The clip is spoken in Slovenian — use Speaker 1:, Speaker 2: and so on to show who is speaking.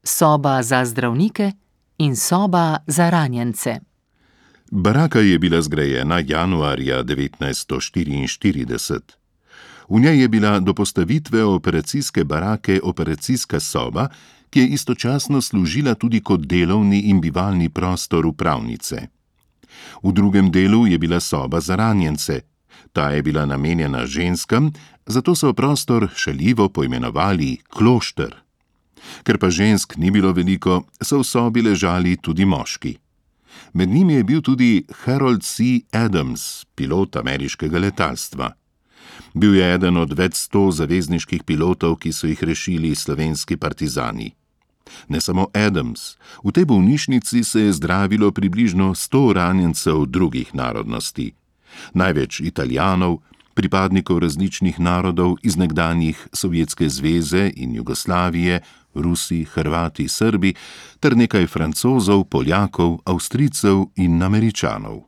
Speaker 1: soba za zdravnike in soba za ranjence.
Speaker 2: Baraka je bila zgrajena januarja 1944. V njej je bila do postavitve operacijske barake operacijska soba, ki je istočasno služila tudi kot delovni in bivalni prostor upravnice. V drugem delu je bila soba za ranjence. Ta je bila namenjena ženskam, zato so prostor šaljivo poimenovali klošter. Ker pa žensk ni bilo veliko, so v sobi ležali tudi moški. Med njimi je bil tudi Harold C. Adams, pilot ameriškega letalstva. Bil je eden od več 100 zavezniških pilotov, ki so jih rešili slovenski partizani. Ne samo Adams, v tej bolnišnici se je zdravilo približno 100 ranjencev drugih narodnosti. Največ Italijanov, pripadnikov različnih narodov iz nekdanjih Sovjetske zveze in Jugoslavije, Rusi, Hrvati, Srbi, ter nekaj Francozov, Poljakov, Avstrijcev in Američanov.